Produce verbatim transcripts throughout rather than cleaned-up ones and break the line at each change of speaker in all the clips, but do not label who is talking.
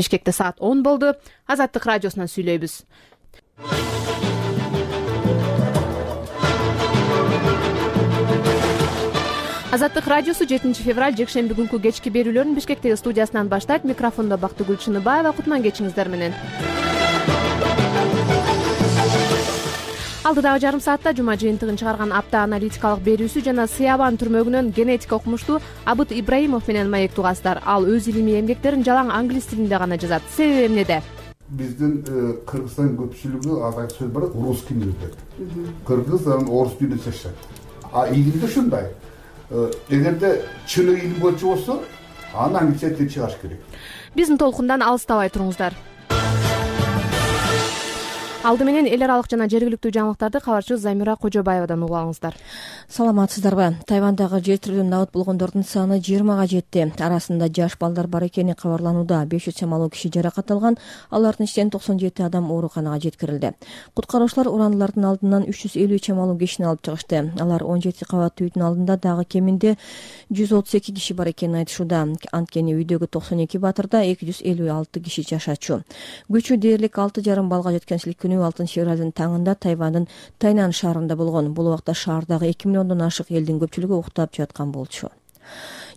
Бишкекте саат он болду. Азаттык радиосунан сүйлөйбүз. Азаттык радиосу жетинчи февраль жекшемби күнкү кечки берүүлөрүн Бишкектеги студиясынан баштайт. Микрофондо Бактыгүл Чыныбаева. Кутман кечиңиздер менен. Алдыдагы жарым саатта жума жыйынтыгын чыгарган апта аналитикалык берүүсү жана Сыябан түрмөгүнөн генетика окумуштуу Абыт Ибраимов менен маектүү угасыздар. Ал өз илимий эмгектерин жалаң англис тилинде гана жазат. Себеби эмнеде?
Биздин Кыргызстан көпчүлүгү атайын сөз бар, русский мир деп. Кыргыз орус тилинде чачат. А илимде ушундай. Эгерде чын илим боюнча болсо, аны англисче тил чыгаш керек.
Биздин толкундан алыстабай туруңуздар. Алды менен эл аралык жана жергиликтүү жаңылыктарды кабарчыбыз Замира Кожобаевадан угуп алыңыздар.
Саламатсыздарбы? Тайвандагы жер тирүүдөн набыт болгондордун саны жыйырмага жетти. Арасында жаш балдар бар экени кабарланууда. беш жүз чамалуу киши жаракат алган, алардын ичинен токсон жети адам ооруканага жеткирилди. Куткаруучулар урандылардын алдынан үч жүз элүү чамалуу кишини алып чыгышты. Алар он жети кабаттуу үйдүн алдында дагы кеминде жүз отуз эки киши бар экенин айтышууда. Анткени үйдөгү токсон эки батырда эки жүз элүү алты киши жашачу. Күчү дээрлик алты жарым балга жеткен силкинүү алтынчы февралдын таңында Тайвандын Тайнан шаарында болгон. Бул убакта шаардагы эки миллиондон ашык элдин көпчүлүгү уктап жаткан болчу.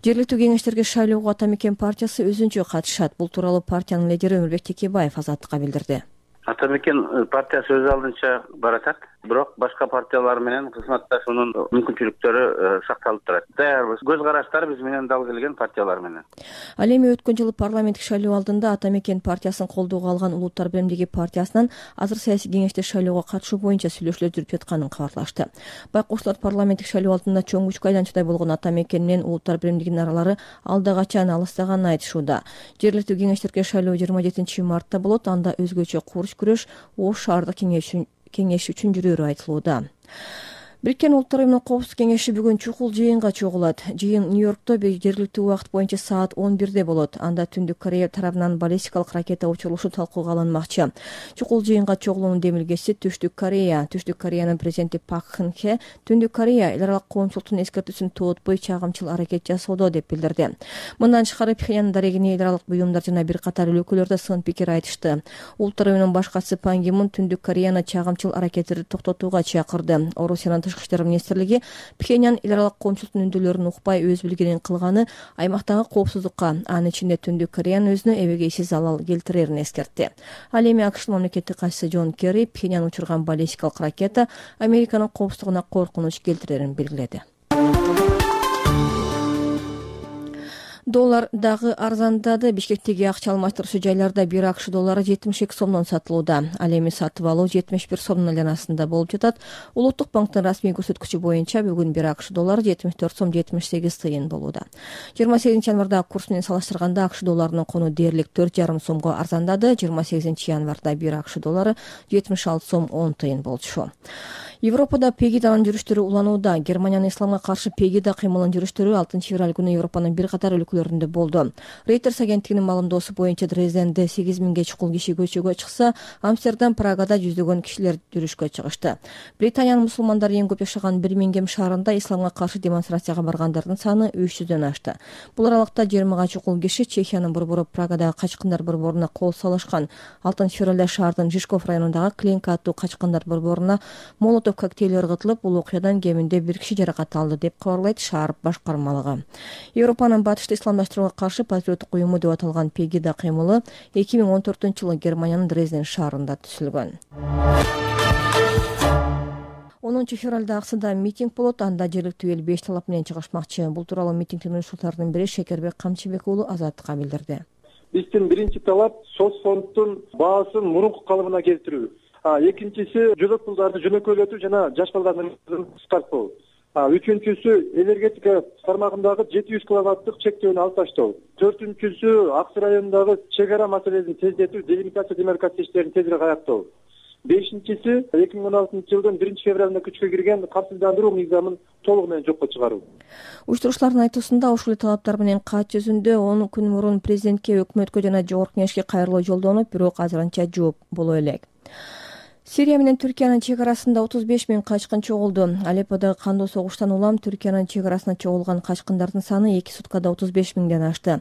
Жергиликтүү кеңештерге шайлоого Атамекен партиясы өзүнчө катышат. Бул тууралуу партиянын лидери Өмүрбек Текебаев Азаттыкка билдирди.
Атамекен партиясы өз алдынча баратат, бирок башка партиялар менен кызматташуунун мүмкүнчүлүктөрү сакталып турат. Даярбыз. Көз караштар биз менен дал келген партиялар менен.
Ал эми өткөн жылы парламенттик шайлоо алдында Атамекен партиясын колдоого алган Улуттар биримдиги партиясынан азыр саясий кеңеште шайлоого катышуу боюнча сүйлөшүүлөр жүрүп жатканын кабарлашты. Байкоштуулар парламенттик шайлоо алдында чоң күчкө айланчудай болгон Атамекен менен Улуттар биримдигинин аралары алда качан алыстаганын айтышууда. Жергиликтүү кеңештерге шайлоо жыйырма жетинчи мартта болот. Анда өзгөчө курч күрөш Ош шаардык кеңеш үчүн жүрөөрү айтылууда. Бириккен Улуттар Уюмунун Коопсуздук кеңеши бүгүн чукул жыйынга чогулат. Жыйын Нью-Йоркто жергиликтүү убакыт боюнча саат он бирде болот. Анда Түндүк Корея тарабынан баллистикалык ракета учурулушу талкууга алынмакчы. Чукул жыйынга чогулуунун демилгеси Түштүк Корея. Түштүк Кореянын президенти Пак Кын Хе Түндүк Корея эл аралык коомчулуктун эскертүүсүн тоотпой чагымчыл аракет жасоодо деп билдирди. Мындан тышкары Пхеньян дарегине эл аралык буюмдар жана бир катар өлкөлөр да сын пикир айтышты. Улуттар Уюмунун башкачысы Пан Ги Мун Түндүк Кореяны чагымчыл аракеттерди токтотууга чакырды. Орусиянын Тышкы иштер министрлиги Пхеньян эл аралык коомчулуктун үндөлөрүн укпай өз билгенин кылганы аймактагы коопсуздукка, анын ичинде Түндүк Кореянын өзүнө эбегейсиз залал келтирерин эскертти. Ал эми АКШнын мамлекеттик катчысы Джон Керри Пхеньян учурган баллистикалык ракета Американын коопсуздугуна коркунуч келтирерин белгиледи. Доллар дагы арзандады. Бишкектеги акча алмаштыруучу жайларда бир АКШ доллары жетимиш эки сомдон сатылууда. Ал эми сатып алуу жетимиш бир сомдун айланасында болуп жатат. Улуттук банктын расмий көрсөткүчү боюнча бүгүн бир АКШ доллары жетимиш төрт сом жетимиш сегиз тыйын болууда. жыйырма сегизинчи январда курс менен салыштырганда АКШ долларынын куну дээрлик төрт жарым сомго арзандады. жыйырма сегизинчи январда бир АКШ доллары жетимиш алты сом он тыйын болчу. Европада Пегиданын жүрүштөрү уланууда. Германиянын исламга каршы Пегида кыймылынын жүрүштөрү алтынчы февраль күнү Европанын бир катар өлкөлөрүндө болду. Reuters агенттигинин маалымдоосу боюнча Дрезденде сегиз миңге чукул киши көчөгө чыкса, Амстердам, Прагада жүздөгөн кишилер жүрүшкө чыгышты. Британиянын мусулмандары эң көп жашаган Бирмингем шаарында исламга каршы демонстрацияга баргандардын саны үч жүздөн ашты. Бул аралыкта жыйырмага чукул киши Чехиянын борбору Прагадагы качкындар борборуна кол салышкан. алтынчы февралда шаардын Жишков районундагы Кленка аттуу качкындар борборуна молотов коктейль ыргытылып, бул окуядан кеминде бир киши жаракат алды деп кабарлайт шаар башкармалыгы. Европанын батышты исламдаштырууга каршы патриоттук уюму деп аталган Пегида кыймылы эки миң он төртүнчү жылы Германиянын Дрезден шаарында түзүлгөн. онунчу февралда Аксыда митинг болот. Анда жергиликтүү эл беш талап менен чыгышмакчы. Бул тууралуу митингдин уюштуруучуларынын бири Шекербек Камчыбек уулу Азаттыкка билдирди.
Биздин биринчи талап соцфонддун баасын мурунку калыбына келтирүү. Экинчиси жолок пулдарды жөнөкөйлөтүү жана жаш балдардын кыскартуу. Үчүнчүсү энергетика тармагындагы жети жүз киловаттык чектөөнү алып таштоо. Төртүнчүсү Аксы районундагы чек ара маселесин тездетүү, делимитация демаркация иштерин тезирээк аяктоо. Бешинчиси эки миң он алтынчы жылдын биринчи февралында күчкө кирген камсыздандыруу мыйзамын толугу менен жокко чыгаруу.
Уюштуруучулардын айтуусунда ушул эле талаптар менен кат жүзүндө он күн мурун президентке, өкмөткө жана жогорку кеңешке кайрылуу жолдонуп, бирок азырынча жооп боло элек. Сирия менен Түркиянын чек арасында отуз беш миң качкын чогулду. Алепподагы кандуу согуштан улам Түркиянын чек арасына чогулган качкындардын саны эки суткада отуз беш миңден ашты.